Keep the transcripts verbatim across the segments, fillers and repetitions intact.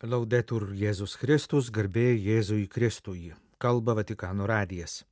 Laudetur Jėzus Kristus, garbė Jėzui Kristui. Kalba Vatikano radijas.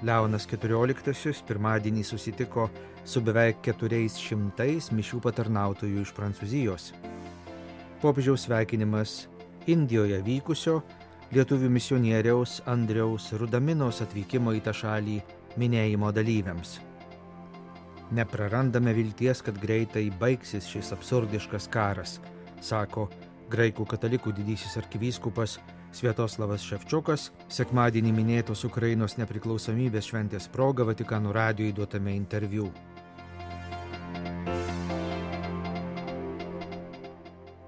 Leonas keturioliktasis pirmadienį susitiko su beveik keturiais šimtais mišių patarnautojų iš Prancūzijos. Popiežiaus sveikinimas Indijoje vykusio lietuvių misionieriaus Andriaus Rudaminos atvykimo į tą šalį minėjimo dalyviams. Neprarandame vilties, kad greitai baigsis šis absurdiškas karas, sako graikų katalikų didysis arkivyskupas Sviatoslavas Ševčiukas sekmadienį minėtos Ukrainos nepriklausomybės šventės proga Vatikano radijui duotame interviu.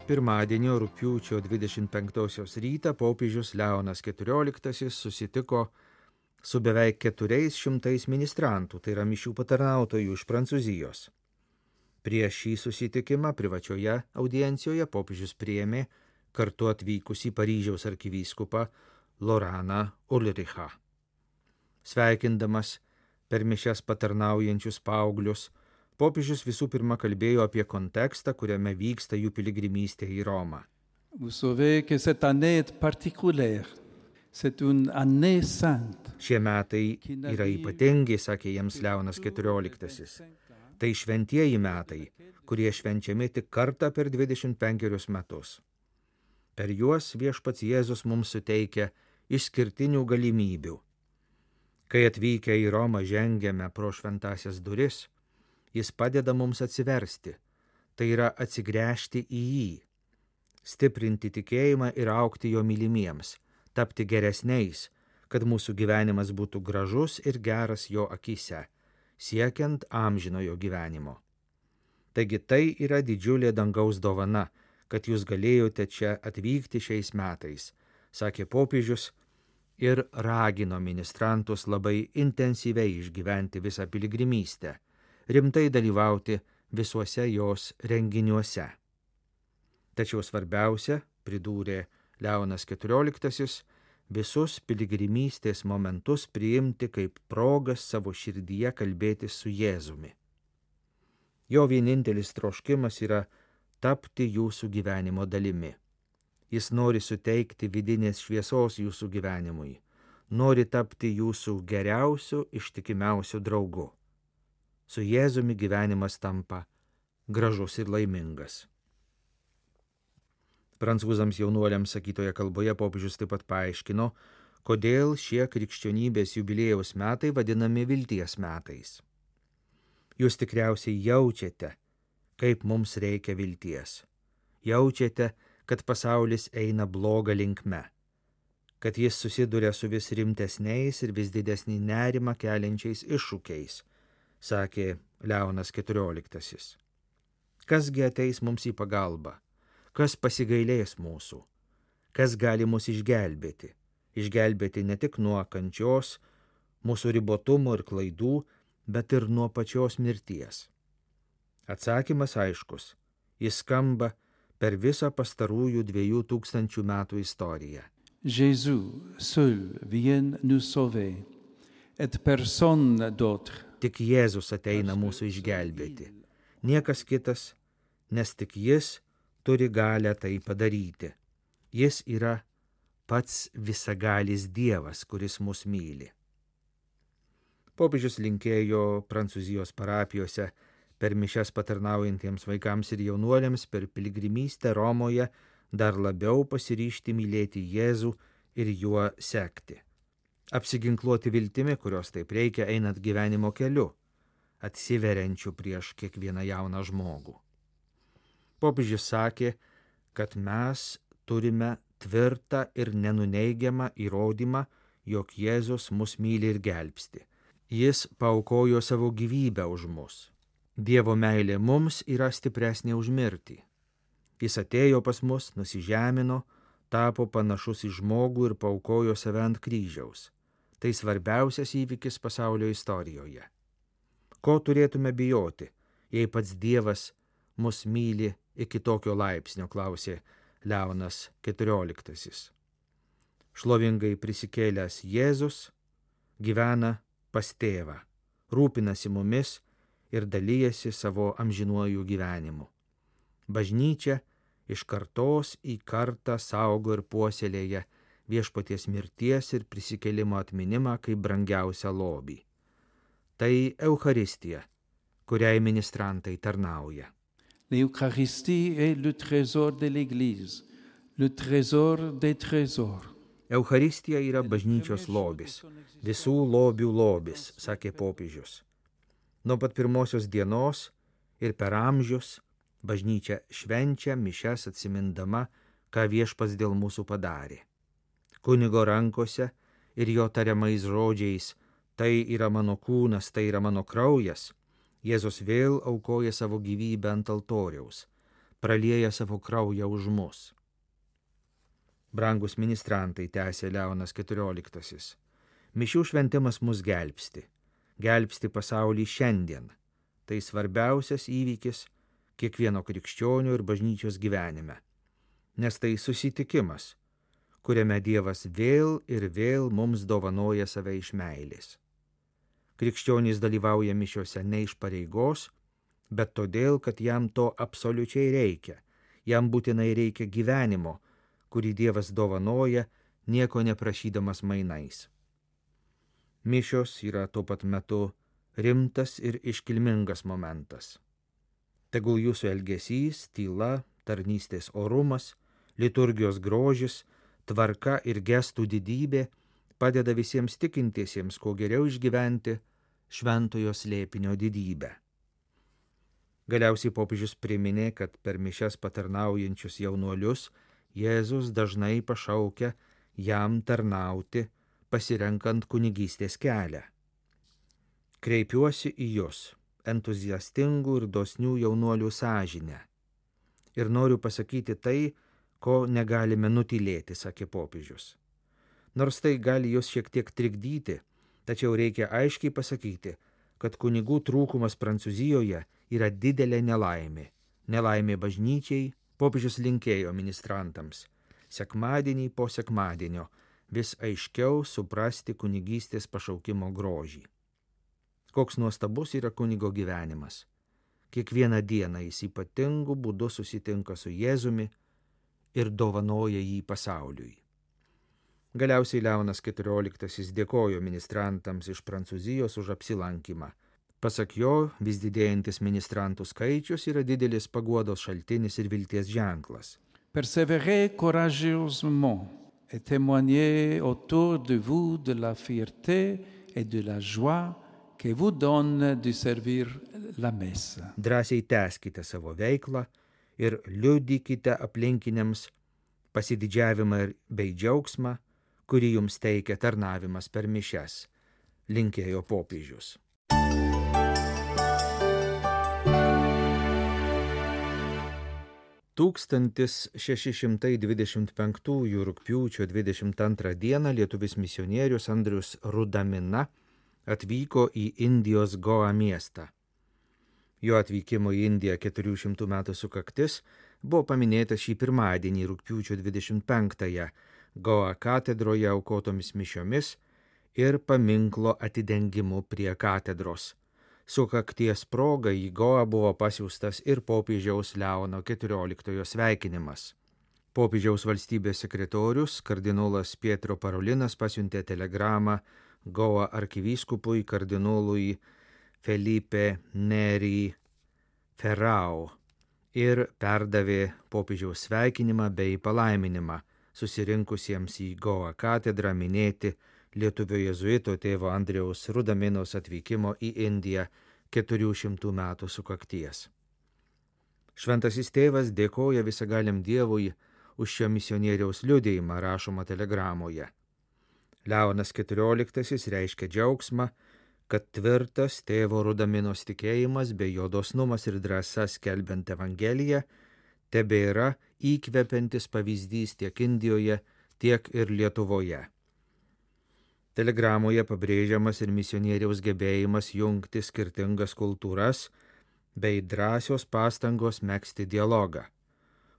Pirmadienio rugpjūčio dvidešimt penktosios rytą popiežius Leonas keturioliktasis susitiko su beveik keturiais šimtais ministrantų, tai yra mišių patarnautojų iš Prancūzijos. Prieš šį susitikimą privačioje audiencijoje popiežius priėmė kartu atvykusį Paryžiaus arkivyskupą Loraną Ulrichą. Sveikindamas per mišias patarnaujančius paauglius, popiežius visų pirma kalbėjo apie kontekstą, kuriame vyksta jų piligrimystė į Romą. Vous savez que cette année est particulière. C'est une année sainte. Šie metai yra ypatingi, sakė jiems Leonas keturioliktasis. Tai šventieji metai, kurie švenčiami tik kartą per dvidešimt penkerius metus. Per juos viešpats Jėzus mums suteikia išskirtinių galimybių. Kai atvykę į Romą žengiame pro šventasias duris, jis padeda mums atsiversti, tai yra atsigręžti į jį, stiprinti tikėjimą ir augti jo mylimiems, tapti geresniais, kad mūsų gyvenimas būtų gražus ir geras jo akyse, siekiant amžinojo gyvenimo. Taigi tai yra didžiulė dangaus dovana, kad jūs galėjote čia atvykti šiais metais, sakė popiežius ir ragino ministrantus labai intensyviai išgyventi visą piligrimystę, rimtai dalyvauti visuose jos renginiuose. Tačiau svarbiausia, pridūrė Leonas keturioliktasis, visus piligrimystės momentus priimti kaip progas savo širdyje kalbėti su Jėzumi. Jo vienintelis troškimas yra tapti jūsų gyvenimo dalimi. Jis nori suteikti vidinės šviesos jūsų gyvenimui, nori tapti jūsų geriausiu, ištikimiausiu draugu. Su Jėzumi gyvenimas tampa gražus ir laimingas. Prancūzams jaunuoliams sakytoje kalboje popiežius taip pat paaiškino, kodėl šie krikščionybės jubiliejaus metai vadinami vilties metais. Jūs tikriausiai jaučiate, kaip mums reikia vilties. Jaučiate, kad pasaulis eina bloga linkme, kad jis susiduria su vis rimtesniais ir vis didesnį nerimą keliančiais iššūkiais, sakė Leonas keturioliktasis. Kasgi ateis mums į pagalbą? Kas pasigailės mūsų, kas gali mus išgelbėti, išgelbėti ne tik nuo kančios, mūsų ribotumo ir klaidų, bet ir nuo pačios mirties. Atsakymas aiškus, jis skamba per visą pastarųjų dviejų tūkstančių metų istoriją. Jésus seul vient nous sauver, et personne d'autre. Tik Jėzus ateina mūsų išgelbėti, niekas kitas, nes tik jis turi galę tai padaryti. Jis yra pats visagalis Dievas, kuris mus myli. Popiežius linkėjo Prancūzijos parapijose per mišias patarnaujantiems vaikams ir jaunuoliams per piligrimystę Romoje dar labiau pasiryžti mylėti Jėzų ir juo sekti. Apsiginkluoti viltimi, kurios taip reikia einant gyvenimo keliu, atsiveriančiu prieš kiekvieną jauną žmogų. Popiežius sakė, kad mes turime tvirtą ir nenuneigiamą įrodymą, jog Jėzus mus myli ir gelbsti. Jis paaukojo savo gyvybę už mus. Dievo meilė mums yra stipresnė už mirtį. Jis atėjo pas mus, nusižemino, tapo panašus į žmogų ir paaukojo save ant kryžiaus. Tai svarbiausias įvykis pasaulio istorijoje. Ko turėtume bijoti, jei pats Dievas mus myli iki tokio laipsnio, klausė Leonas keturioliktasis. Šlovingai prisikėlęs Jėzus gyvena pas tėvą, rūpinasi mumis ir dalyjasi savo amžinuoju gyvenimu. Bažnyčia iš kartos į kartą saugo ir puoselėja viešpaties mirties ir prisikėlimo atminimą kaip brangiausią lobį. Tai Eucharistija, kuriai ministrantai tarnauja. L'Eucharistie est le trésor de l'Église, le trésor des trésors. Eucharistija yra bažnyčios lobis, visų lobių lobis, sakė popiežius. Nuo pat pirmosios dienos ir per amžius bažnyčia švenčia mišias atsimindama, ką viešpats dėl mūsų padarė. Kunigo rankose ir jo tariamais žodžiais, tai yra mano kūnas, tai yra mano kraujas, Jėzus vėl aukoja savo gyvybę ant altoriaus, pralieja savo kraują už mus. Brangus ministrantai, tęsė Leonas keturioliktasis, mišių šventimas mus gelbsti, gelbsti pasaulį šiandien. Tai svarbiausias įvykis kiekvieno krikščionio ir bažnyčios gyvenime, nes tai susitikimas, kuriame Dievas vėl ir vėl mums dovanoja save iš meilės. Krikščionys dalyvauja mišiuose ne iš pareigos, bet todėl, kad jam to absoliučiai reikia, jam būtinai reikia gyvenimo, kurį Dievas dovanoja, nieko neprašydamas mainais. Mišios yra tuo pat metu rimtas ir iškilmingas momentas. Tegul jūsų elgesys, tyla, tarnystės orumas, liturgijos grožis, tvarka ir gestų didybė padeda visiems tikintiesiems kuo geriau išgyventi šventojo slėpinio didybę. Galiausiai popiežius priminė, kad per mišias patarnaujančius jaunuolius Jėzus dažnai pašaukia jam tarnauti, pasirenkant kunigystės kelią. Kreipiuosi į jus, entuziastingų ir dosnių jaunuolių sąžinę. Ir noriu pasakyti tai, ko negalime nutylėti, sakė popiežius. Nors tai gali jūs šiek tiek trikdyti, tačiau reikia aiškiai pasakyti, kad kunigų trūkumas Prancūzijoje yra didelė nelaimė. Nelaimė bažnyčiai, popiežius linkėjo ministrantams sekmadienį po sekmadienio vis aiškiau suprasti kunigystės pašaukimo grožį. Koks nuostabus yra kunigo gyvenimas. Kiekvieną dieną jis ypatingu būdu susitinka su Jėzumi ir dovanoja jį pasauliui. Galiausiai Leonas keturioliktasis dėkojo ministrantams iš Prancūzijos už apsilankymą. Pasak jo, vis didėjantis ministrantų skaičius yra didelis paguodos šaltinis ir vilties ženklas. Persévérez courageusement et témoignez autour de vous de la fierté et de la joie que vous donne de servir la messe. Drąsiai tęskite savo veiklą ir liudykite aplinkiniams pasididžiavimą bei džiaugsmą, kurį jums teikia tarnavimas per mišias, linkėjo popiežius. tūkstantis šeši šimtai dvidešimt penktųjų rugpjūčio dvidešimt antrą dieną lietuvis misionierius Andrius Rudamina atvyko į Indijos Goa miestą. Jo atvykimo į Indiją keturių šimtų metų sukaktis buvo paminėta šį pirmadienį rugpjūčio dvidešimt penktąją Goa katedroje aukotomis mišiomis ir paminklo atidengimu prie katedros. Sukakties proga į Goa buvo pasiųstas ir popiežiaus Leono keturioliktojo sveikinimas. Popiežiaus valstybės sekretorius kardinolas Pietro Parolinas pasiuntė telegramą Goa arkivyskupui kardinolui Felipe Neri Ferrao ir perdavė popiežiaus sveikinimą bei palaiminimą susirinkusiems į Goa katedrą minėti lietuvio jėzuito tėvo Andriaus Rudaminos atvykimo į Indiją keturių šimtų metų sukakties. Šventasis tėvas dėkoja visagaliam Dievui už šio misionieriaus liudijimą, rašoma telegramoje. Leonas keturioliktasis reiškia džiaugsmą, kad tvirtas tėvo Rudaminos tikėjimas bei jo dosnumas ir drąsa skelbiant Evangeliją tebėra įkvepiantis pavyzdys tiek Indijoje, tiek ir Lietuvoje. Telegramoje pabrėžiamas ir misionieriaus gebėjimas jungti skirtingas kultūras bei drąsios pastangos megzti dialogą.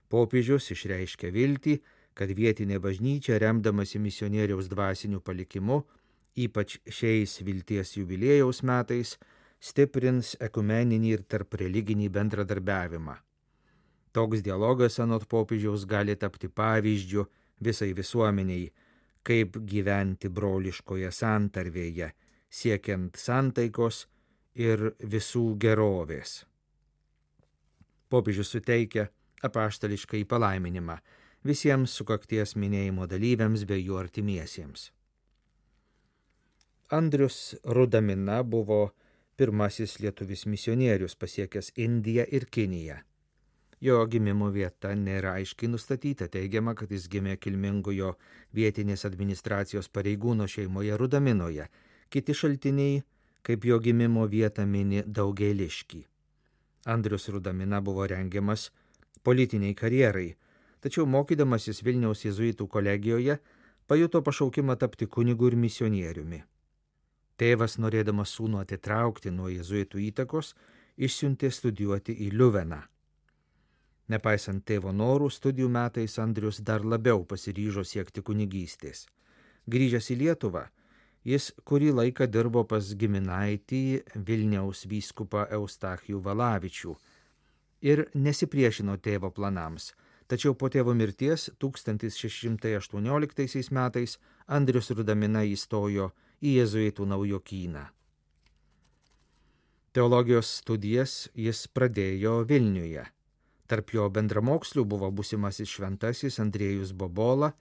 Popiežius išreiškia viltį, kad vietinė bažnyčia, remdamasi misionieriaus dvasiniu palikimu, ypač šiais vilties jubiliejaus metais, stiprins ekumeninį ir tarpreliginį bendradarbiavimą. Toks dialogas anot popiežiaus gali tapti pavyzdžiu visai visuomeniai, kaip gyventi broliškoje santarvėje, siekiant santaikos ir visų gerovės. Popiežius suteikia apaštališkai palaiminimą visiems sukakties minėjimo dalyviams bei jų artimiesiems. Andrius Rudamina buvo pirmasis lietuvis misionierius pasiekęs Indiją ir Kiniją. Jo gimimo vieta nėra aiškiai nustatyta, teigiama, kad jis gimė kilmingojo vietinės administracijos pareigūno šeimoje Rudaminoje. Kiti šaltiniai, kaip jo gimimo vietą mini Daugėliškį. Andrius Rudamina buvo rengiamas politiniai karjerai, tačiau mokydamasis Vilniaus jėzuitų kolegijoje pajuto pašaukimą tapti kunigu ir misionieriumi. Tėvas, norėdamas sūnų atitraukti nuo jėzuitų įtakos, išsiuntė studijuoti į Liuveną. Nepaisant tėvo norų, studijų metais Andrius dar labiau pasiryžo siekti kunigystės. Grįžęs į Lietuvą, jis kurį laiką dirbo pas giminaitį Vilniaus vyskupą Eustachijų Valavičių ir nesipriešino tėvo planams, tačiau po tėvo mirties tūkstantis šeši šimtai aštuonioliktaisiais metais Andrius Rudamina įstojo į jėzuitų naujokyną. Teologijos studijas jis pradėjo Vilniuje. Tarp jo bendramokslių buvo būsimasis šventasis Andriejus Bobola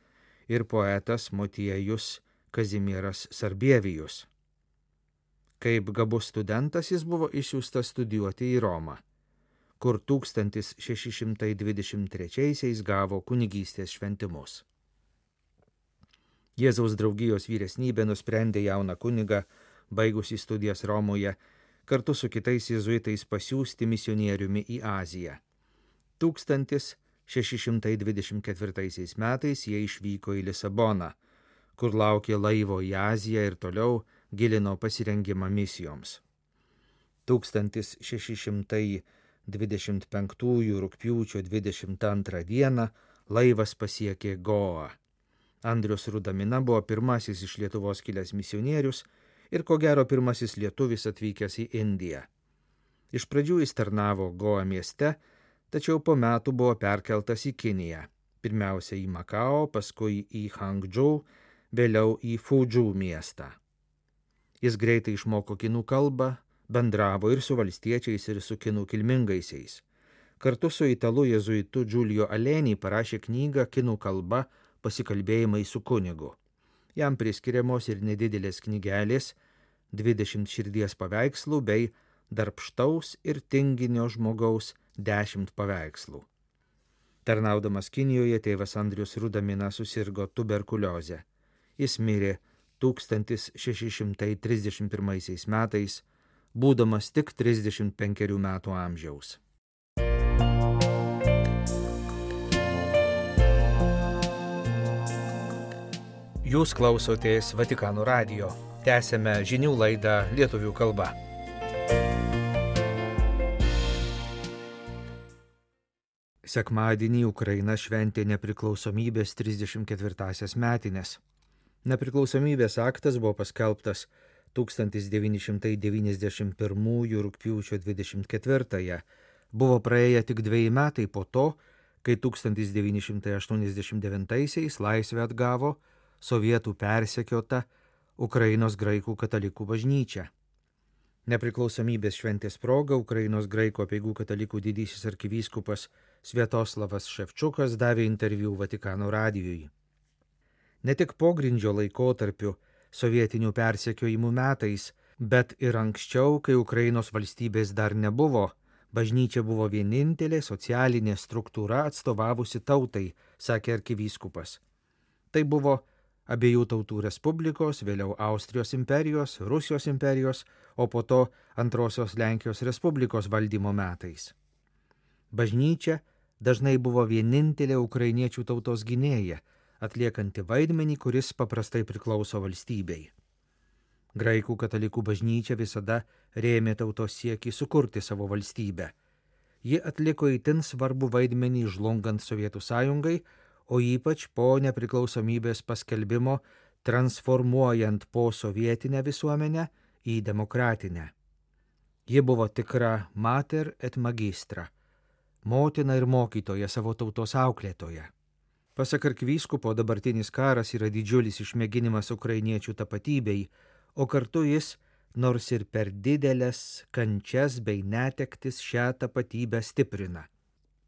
ir poetas Motiejus Kazimieras Sarbievijus. Kaip gabus studentas jis buvo išsiųstas studijuoti į Romą, kur tūkstantis šeši šimtai dvidešimt trečiaisiais gavo kunigystės šventimus. Jėzaus draugijos vyresnybė nusprendė jauną kunigą, baigusį studijas Romoje, kartu su kitais jėzuitais pasiųsti misionieriumi į Aziją. tūkstantis šeši šimtai dvidešimt ketvirtaisiais metais jie išvyko į Lisaboną, kur laukė laivo į Aziją ir toliau gilino pasirengimą misijoms. tūkstantis šeši šimtai dvidešimt penktųjų rugpjūčio dvidešimt antrą dieną laivas pasiekė Goą. Andrius Rudamina buvo pirmasis iš Lietuvos kilęs misionierius ir ko gero pirmasis lietuvis atvykęs į Indiją. Iš pradžių jis tarnavo Goa mieste, tačiau po metų buvo perkeltas į Kiniją, pirmiausia į Makao, paskui į Hangdžou, vėliau į Fudžou miestą. Jis greitai išmoko kinų kalbą, bendravo ir su valstiečiais, ir su kinų kilmingaisiais. Kartu su italu jėzuitu Giulio Aleni parašė knygą kinų kalba Pasikalbėjimai su kunigu. Jam priskiriamos ir nedidelės knygelės, dvidešimt širdies paveikslų bei darbštaus ir tinginio žmogaus dešimt paveikslų. Tarnaudamas Kinijoje tėvas Andrius Rudamina susirgo tuberkuliozę. Jis mirė tūkstantis šeši šimtai trisdešimt pirmaisiais metais, būdamas tik trisdešimt penkerių metų amžiaus. Jūs klausotės Vatikano radijo. Tęsiame žinių laidą lietuvių kalba. Sekmadienį Ukraina šventė nepriklausomybės trisdešimt ketvirtąsias metines. Nepriklausomybės aktas buvo paskelbtas tūkstantis devyni šimtai devyniasdešimt pirmųjų rugpjūčio dvidešimt ketvirtąją. Buvo praėję tik dveji metai po to, kai tūkstantis devyni šimtai aštuoniasdešimt devintaisiais laisvę atgavo sovietų persekiota Ukrainos graikų katalikų bažnyčia. Nepriklausomybės šventės proga Ukrainos graikų apeigų katalikų didysis arkivyskupas Sviatoslavas Ševčukas davė interviu Vatikano radijui. Ne tik pogrindžio laikotarpiu, sovietinių persekiojimų metais, bet ir anksčiau, kai Ukrainos valstybės dar nebuvo, bažnyčia buvo vienintelė socialinė struktūra atstovavusi tautai, sakė arkivyskupas. Tai buvo abiejų tautų respublikos, vėliau Austrijos imperijos, Rusijos imperijos, o po to Antrosios Lenkijos Respublikos valdymo metais. Bažnyčia dažnai buvo vienintelė ukrainiečių tautos gynėja, atliekanti vaidmenį, kuris paprastai priklauso valstybei. Graikų katalikų bažnyčia visada rėmė tautos siekį sukurti savo valstybę. Ji atliko itin svarbų vaidmenį žlungant Sovietų sąjungai, o ypač po nepriklausomybės paskelbimo transformuojant posovietinę visuomenę į demokratinę. Ji buvo tikra mater et magistra, motina ir mokytoja, savo tautos auklėtoja. Pasak arkivyskupo, dabartinis karas yra didžiulis išmėginimas ukrainiečių tapatybei, o kartu jis, nors ir per didelės kančias bei netektis, šią tapatybę stiprina.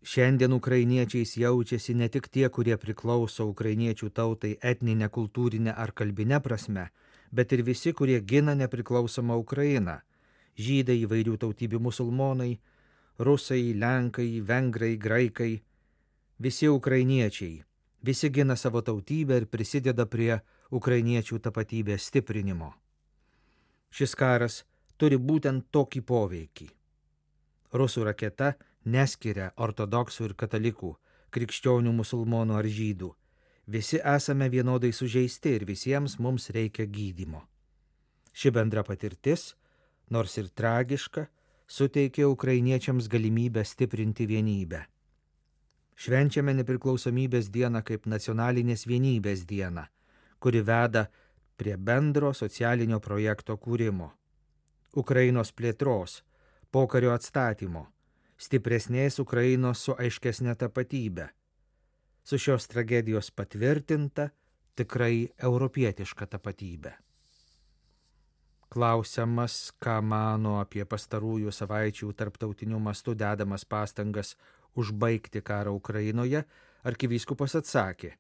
Šiandien ukrainiečiais jaučiasi ne tik tie, kurie priklauso ukrainiečių tautai etninę, kultūrinę ar kalbinę prasme, bet ir visi, kurie gina nepriklausomą Ukrainą. Žydai, įvairių tautybių musulmonai, rusai, lenkai, vengrai, graikai, visi ukrainiečiai, visi gina savo tautybę ir prisideda prie ukrainiečių tapatybės stiprinimo. Šis karas turi būtent tokį poveikį. Rusų raketa neskiria ortodoksų ir katalikų, krikščionių, musulmonų ar žydų. Visi esame vienodai sužeisti ir visiems mums reikia gydymo. Ši bendra patirtis, nors ir tragiška, suteikė ukrainiečiams galimybę stiprinti vienybę. Švenčiame nepriklausomybės dieną kaip nacionalinės vienybės dieną, kuri veda prie bendro socialinio projekto kūrimo, Ukrainos plėtros, pokario atstatymo, stipresnės Ukrainos su aiškesnė tapatybė, su šios tragedijos patvirtinta tikrai europietiška tapatybė. Klausiamas, ką mano apie pastarųjų savaičių tarptautiniu mastu dedamas pastangas užbaigti karą Ukrainoje, arkivyskupas atsakė: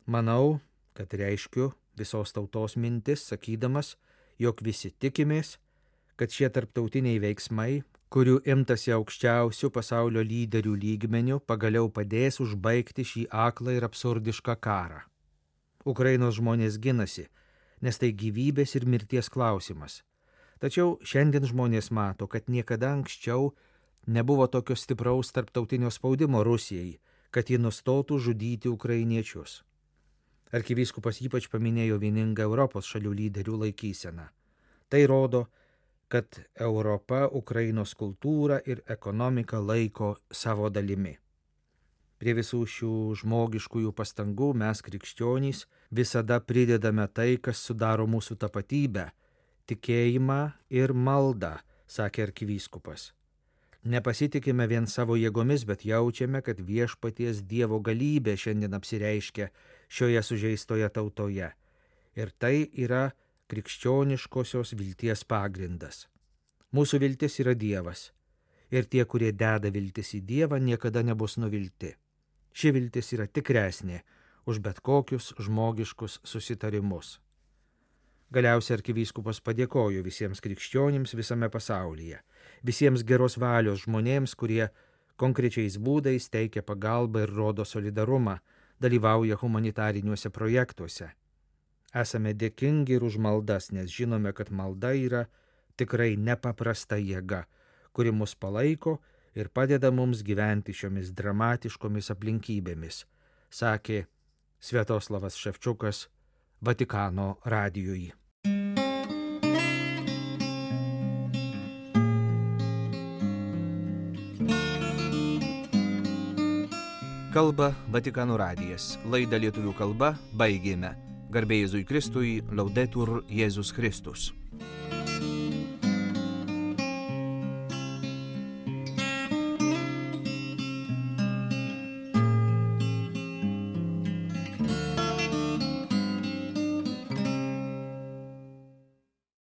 manau, kad reiškiu visos tautos mintis, sakydamas, jog visi tikimės, kad šie tarptautiniai veiksmai, kurių imtasi aukščiausių pasaulio lyderių lygmenių, pagaliau padės užbaigti šį aklą ir absurdišką karą. Ukrainos žmonės ginasi, nes tai gyvybės ir mirties klausimas. Tačiau šiandien žmonės mato, kad niekada anksčiau nebuvo tokio stipraus tarptautinio spaudimo Rusijai, kad ji nustotų žudyti ukrainiečius. Arkivyskupas ypač paminėjo vieningą Europos šalių lyderių laikyseną. Tai rodo, kad Europa Ukrainos kultūrą ir ekonomiką laiko savo dalimi. Prie visų šių žmogiškųjų pastangų mes, krikščionys, visada pridedame tai, kas sudaro mūsų tapatybę, tikėjimą ir maldą, sakė arkivyskupas. Nepasitikime vien savo jėgomis, bet jaučiame, kad viešpaties Dievo galybė šiandien apsireiškia šioje sužeistoje tautoje. Ir tai yra krikščioniškosios vilties pagrindas. Mūsų viltis yra Dievas. Ir tie, kurie deda viltis į Dievą, niekada nebus nuvilti. Ši viltis yra tikresnė už bet kokius žmogiškus susitarimus. Galiausiai arkivyskupas padėkojo visiems krikščionims visame pasaulyje, visiems geros valios žmonėms, kurie konkrečiais būdais teikia pagalbą ir rodo solidarumą, dalyvauja humanitariniuose projektuose. Esame dėkingi ir už maldas, nes žinome, kad malda yra tikrai nepaprasta jėga, kuri mus palaiko ir padeda mums gyventi šiomis dramatiškomis aplinkybėmis, sakė Sviatoslavas Ševčiukas Vatikano radijui. Kalba Vatikano radijas. Laidą lietuvių kalba baigėme. Garbė Jėzui Kristui, Laudetur Jėzus Kristus.